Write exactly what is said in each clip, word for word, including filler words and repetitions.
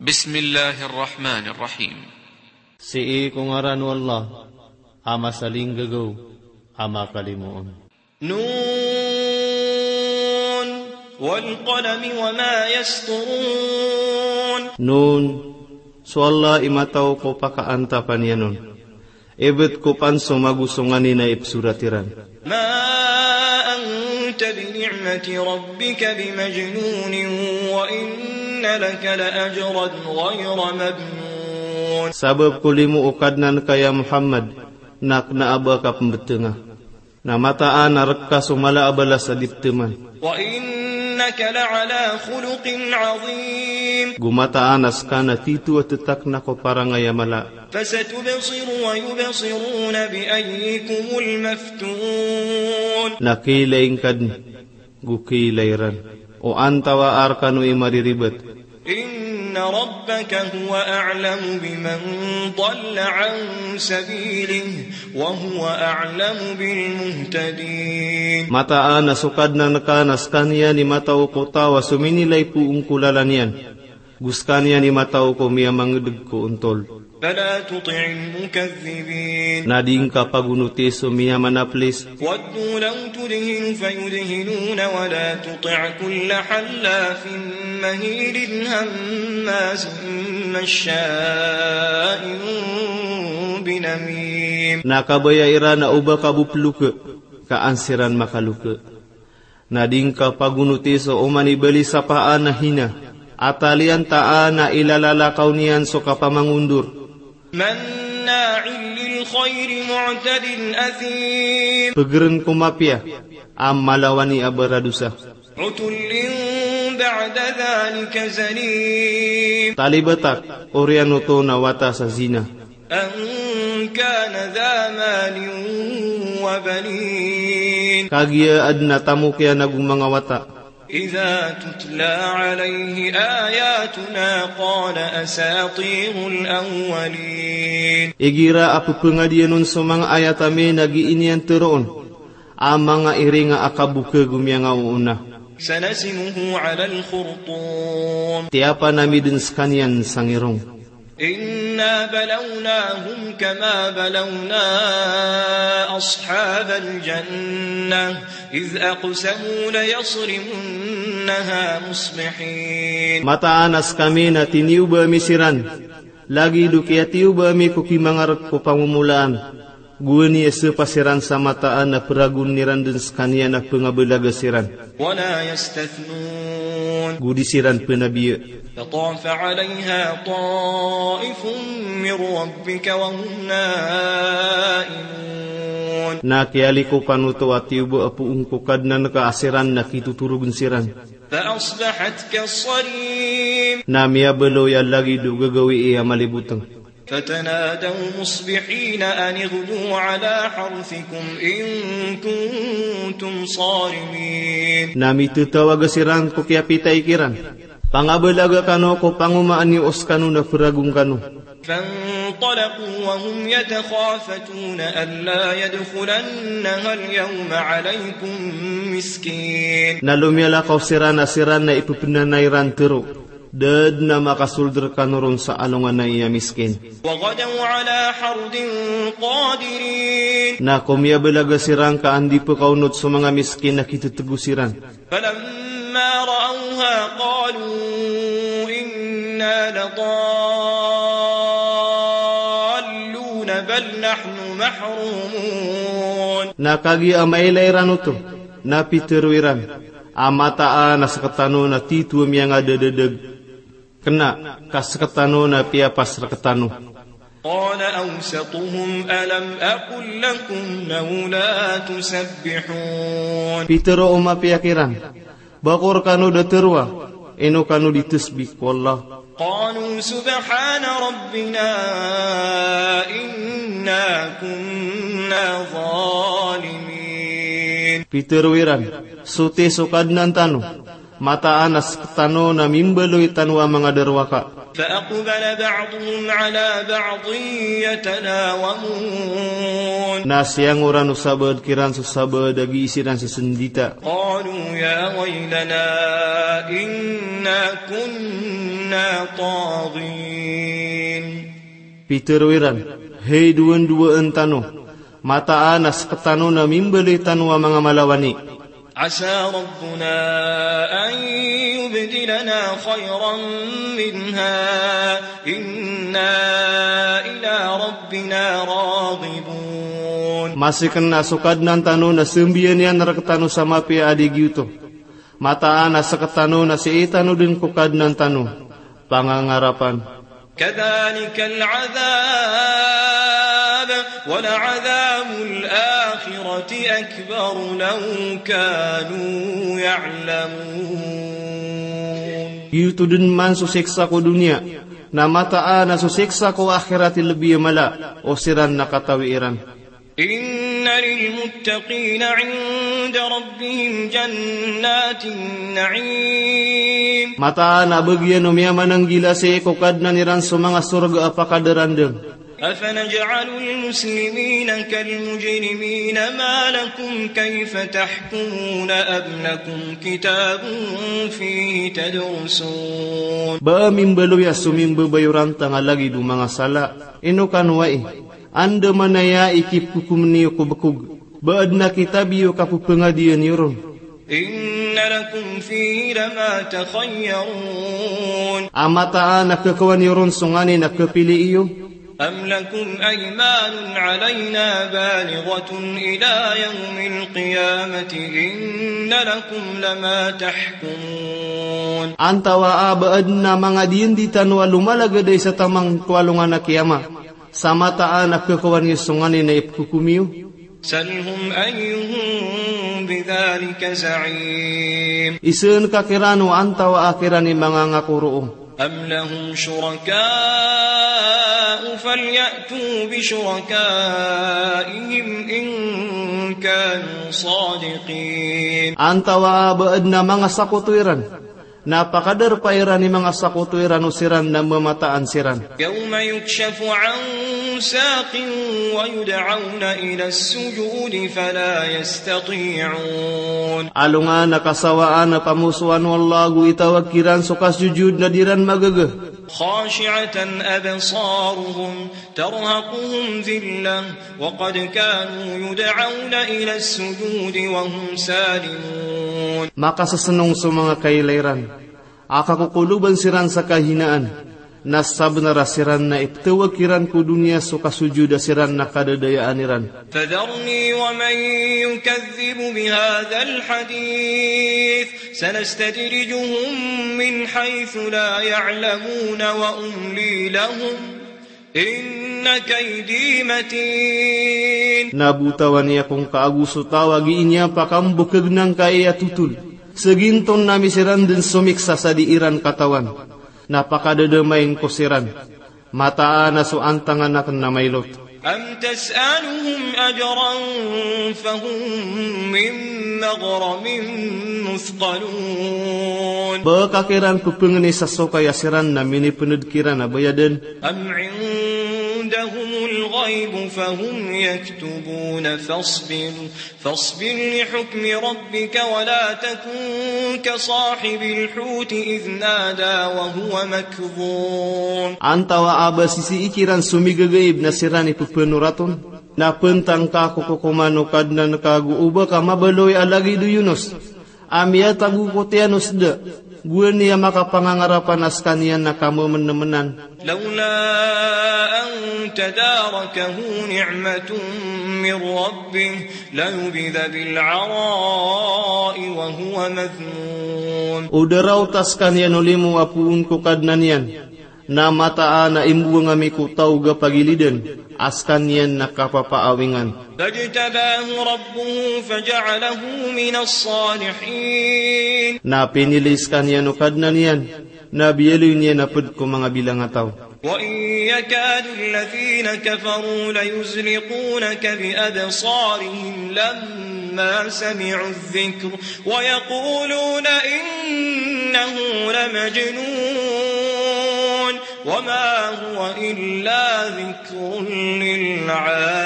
Bismillahir Rahmanir Rahim. Sii ko ngaran o Allah, a masalinggagaw, a makalimoon. Nun wal qalami wa ma yasturun. Nun, so Allah i matao ko pakaantapan iyan on. Ibt ko pn so mago so nganin a ipsorat iran. Ma anta bi ni'mati rabbika bi majnun wa inna laka la ajran ghayra mamnun. Sabap ko limo o Kadnan ka ya Muhammad, na kna a ba ka pmbtnga. Na mataan a rk ka so mala a balas a di ptman. Wa innaka la ala khuluqin azim. Go mataan a ska na tito a ttakna ko parangay a mala. Fasatubsiru wa yubsiruna bi ayyikumul maftun. Na kiilay ngka dn, go kiilay ran, o antawaa rkano i mariribt. Inna rabbaka huwa a'lamu biman dalla an sabilihi wa huwa a'lamu bil muhtadin. Mataan a so Kadnan ka na skaniyan i matao ko taw a sominilay poon ko lalan iyan. Go skaniyan i matao ko miyamangdg ko ontol. Fala tuti'il mukaththibin. Na di ngka pagonoti so miyamanaplis. Waddu law tudhinu fayudhinun wa la tuti' kulla hallafin mahin hammazin mashsha'in binamim. Na kabaya iran a oba ka bo plokha, ka an siran makalokha. Na di ngka pagonoti so oman i balisapaan a hina, a taliyantaan a ilalalakaw niyan so kapamangondor. Manna'in lil khayri mu'tadin athim. Pgrn ko mapiya, a malawani a baradosa. Utullin ba'da dhalika zanim. Talibatak, oriyan oto na wata sa zina. An kana dha malin wa banin. Kagiya adn a tamok iyan ago manga wata. Idha tutla alayhi ayatuna qala asatirul awwalin. Igira a pphangadian on so manga ayat ami na gii niyan tharoon a manga iringa a kabokha go miyanga oona. Sanasimuhu alal khurtum. Tiyapan ami dn skaniyan sa ngirong. Inna balawnahum kama balawna ashabal jannah idh aqsamu layasrimunnaha musbihin. Mataan a skami na tiniyoba ami siran, lagid o kiyatiyoba ami ko kimangark ko pangomolaan. Gowani a sapa siran sa mataan a pragon iran dn skaniyan a pngabalaga siran. Wala yastathnun. Go di siran pnabiya. Fatafa alayha taifun min rabbika wa hum naimun. Na kiyalikopan oto a tiyoba a poon ko Kadnan ka a siran na kitotorogn siran. Fa asbahat kassarim. Na miyabaloy a lagid o gagawii a malibotng. Fatanadaw musbihin an ighdu ala harthikum in kuntum sarimin. Na mitatawaga siran ko kiyapitay kiran. Pangabalaga kano ko pangomaan iyo o skano na pragon kano. Fantalaqu wa hum yatakhafatun alla yadkhulannaha al-yawma alaykum miskin. Na lomiyalakaw siran a siran na ipepnanay ran tharo. Da dn a makasold rkano ron sa alongan a iya miskin. Wa ghadaw ala hardin qadirin. Na komiyabalaga siran ka an di pkaonot so manga miskin na kitotgo siran. Falamma ra'awha qalu inna ladallun bal nahnu mahrumun. Na kagiya a mailay ran oto, na pitharo iran a mataan a sktano na tito a miyangadadadag. Kna, ka sktano na piyapas rktano. Qala awsatuhum alam aqul lakum lawla tusabbihun. Pitharo o mapiya kiran, ba ko rkano da tharoa, ino kano di tasbih ko Allah. Qalu subhana rabbina inna kunna zalimin. Pitharo iran, soti so Kadnan tano, mataan a sktano na mimbaloy tano a manga darowaka. Fa aqbala ba'duhum ala ba'din yatalawamun. Na siyangoran o sabaad kiran so sabaad a gii siran sasndita. Qalu ya waylana inna kunna طاغين. Pitharo iran, hay dowan-dowaan tano, mataan a sktano na mimbaloy tano a manga malawani. عسى ربنا أن يبدلنا خيرا منها إنا إلى ربنا راغبون. Masi kna so Kadnan tano na sambiyan iyan rktano sa mapiya a di giyoto. Mataan a sktano na sii tano dn ko Kadnan tano pangangarapan. كذلك العذاب ولعذاب الآخرة أكبر لو كانوا يعلمون. Giyoto dn man so siksa ko doniya, na mataan a so siksa ko akhirat i lbi a mala o siran na katawi iran. إن للمتقين عند ربهم جنات النعيم. Mataan a bagian o miyamananggila sii ko Kadnan iran so manga sorga a pakadarandm. أفنجعل المسلمين كالمجرمين ما لكم كيف تحكمون أم لكم كتاب فيه تدرسون. Ba mimbaloy a so mimbabayorantang a lagid o manga sala, ino kano ai? Anda man aya i kipkokom niyo ko bkog, ba adn a kitab iyo a kapphangadiya niyo ron. إن لكم فيه لما تخيرون. A mataan a khakawan iyo ron so nganin a khapili iyo. أم لكم أيمان علينا بالغة إلى يوم القيامة إن لكم لما تحكمون. Antawaa ba adn a manga diyandi tano a lomalagad a isa taman ko alongan a kiyama, sa mataan a khakawan iyo so nganin a ipkokom iyo. سلهم أيهم بذلك زعيم. Isaan ka kiran o antawaa kiran i manga ngako roo. أم لهم شركاء فليأتوا بشركائهم إن كانوا صادقين. Antawaa ba adn a manga sakoto iran, na pakadarpa iran i manga sakoto iran o siran na mamataan siran. يوم يكشف عن ساق ويدعون إلى السجود فلا يستطيعون. Alongan a kasawaan a pamosoan o Allah ago itawag kiran so kasojod na di ran magaga. خاشعة أبصارهم ترهقهم ذلة وقد كانوا يدعون إلى السجود وهم سالمون. Makasasnong so manga kailay ran, a kakokoloban siran sa kahinaan, na sabnar a siran na iptawag kiran ko doniya so kasojod a siran na kadadayaan iran. فذرني ومن يكذب بهذا الحديث سنستدرجهم من حيث لا يعلمون وأملي لهم إن كيدي متين. Na botawan iyan ko ngka ago so taw a gii niyan pakambkgn angkai a totol. Sa ginton ami siran dn somiksa sa di iran katawan. Na pakadadamain ko siran. Mataan a so antangan akn na mailot. أم تسألهم أجرا فهم من مغرم مثقلون. Ba ka kiran pphangni sa sokay a siran na minipnd kiran a bayadan. أم عندهم الغيب فهم يكتبون فاصبر فاصبر لحكم ربك ولا تكن كصاحب الحوت إذ نادى وهو مكظوم. Antawaa ba sisii kiran so migagaib na siran i pphanorat on? Na pntang ka ko kokoman o Kadnan ka ago o ba ka mabaloy a lagid o Yunus a miyatago ko tiyan o sda, gowani a makapangangarapan a skaniyan na kamamnmnan. لولا أن تداركه نعمة من ربه لنبذ بالعراء وهو مذموم. O da raot a skaniyan o limo a poon ko Kadnan iyan, na mataan a imbowang ami ko taw a pagilidan a skaniyan na kapapaawingan. فاجتباه ربه فجعله من الصالحين. Na pinili skaniyan o Kadnan iyan, na biyaloy niyan a pd ko manga bilangataw. وإن يكاد الذين كفروا ليزلقونك بأبصارهم لما سمعوا الذكر ويقولون إنه لمجنون وما هو إلا ذكر للعالمين.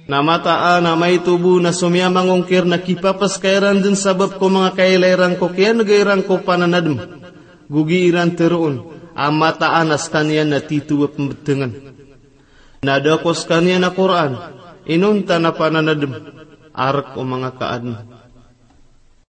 Na mataan a maito bo na so miyamangongkir na kipapaskay ran dn sabap ko manga kailay ran ko kiyanega iran ko pananadm. Go gii ran tharoon a mataan a skaniyan na tito a pmbtngn. Na da ko skaniyan a Qur'an, inonta na pananadm, a rk o manga kaadn.